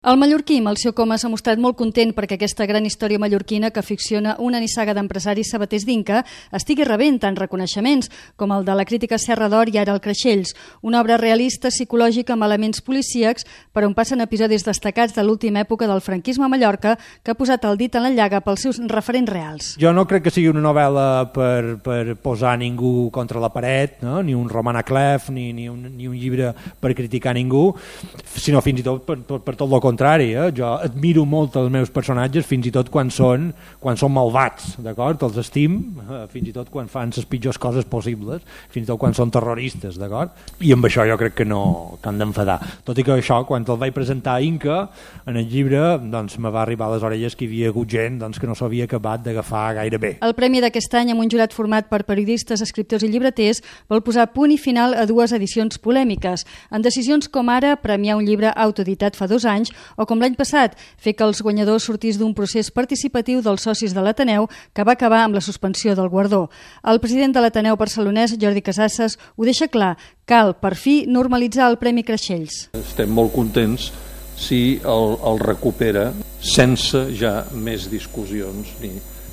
El mallorquí Melcior Coma s'ha mostrat molt content perquè aquesta gran història mallorquina que ficciona una nissaga d'empresaris sabaters d'Inca estigui rebent tant reconeixements com el de la crítica Serra d'Or i ara el Creixells, una obra realista psicològica amb elements policíacs per on passen episodis destacats de l'última època del franquisme a Mallorca que ha posat el dit en la llaga pels seus referents reals. Jo no crec que sigui una novel·la per posar ningú contra la paret, no? Ni un Roman Clef, ni un llibre per criticar ningú, sinó fins i tot per tot el contrari, jo admiro molt els meus personatges fins i tot quan són malvats, d'acord? Els estim, fins i tot quan fan les pitjors coses possibles, fins i tot quan són terroristes, d'acord? I amb això jo crec que no t'han d'enfadar. Tot i que això, quan el vaig presentar a Inca, en el llibre, doncs me va arribar a les orelles que hi havia hagut gent que no s'havia acabat d'agafar gaire bé. El premi d'aquest any, amb un jurat format per periodistes, escriptors i llibreters, vol posar punt i final a dues edicions polèmiques, en decisions com ara premiar un llibre autoeditat fa 2 anys o com l'any passat, fer que els guanyadors sortís d'un procés participatiu dels socis de l'Ateneu que va acabar amb la suspensió del guardó. El president de l'Ateneu barcelonès, Jordi Casasses, ho deixa clar, cal, per fi, normalitzar el Premi Creixells. Estem molt contents si el recupera sense ja més discussions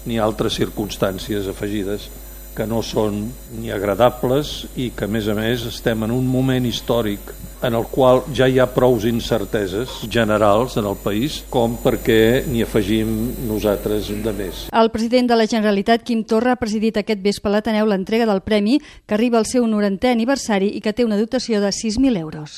ni altres circumstàncies afegides que no són ni agradables i que, a més, estem en un moment històric en el qual ja hi ha prous incerteses generals en el país com perquè n'hi afegim nosaltres de més. El president de la Generalitat, Quim Torra, ha presidit aquest vespre a l'Ateneu l'entrega del premi que arriba al seu 90è aniversari i que té una dotació de 6.000 euros.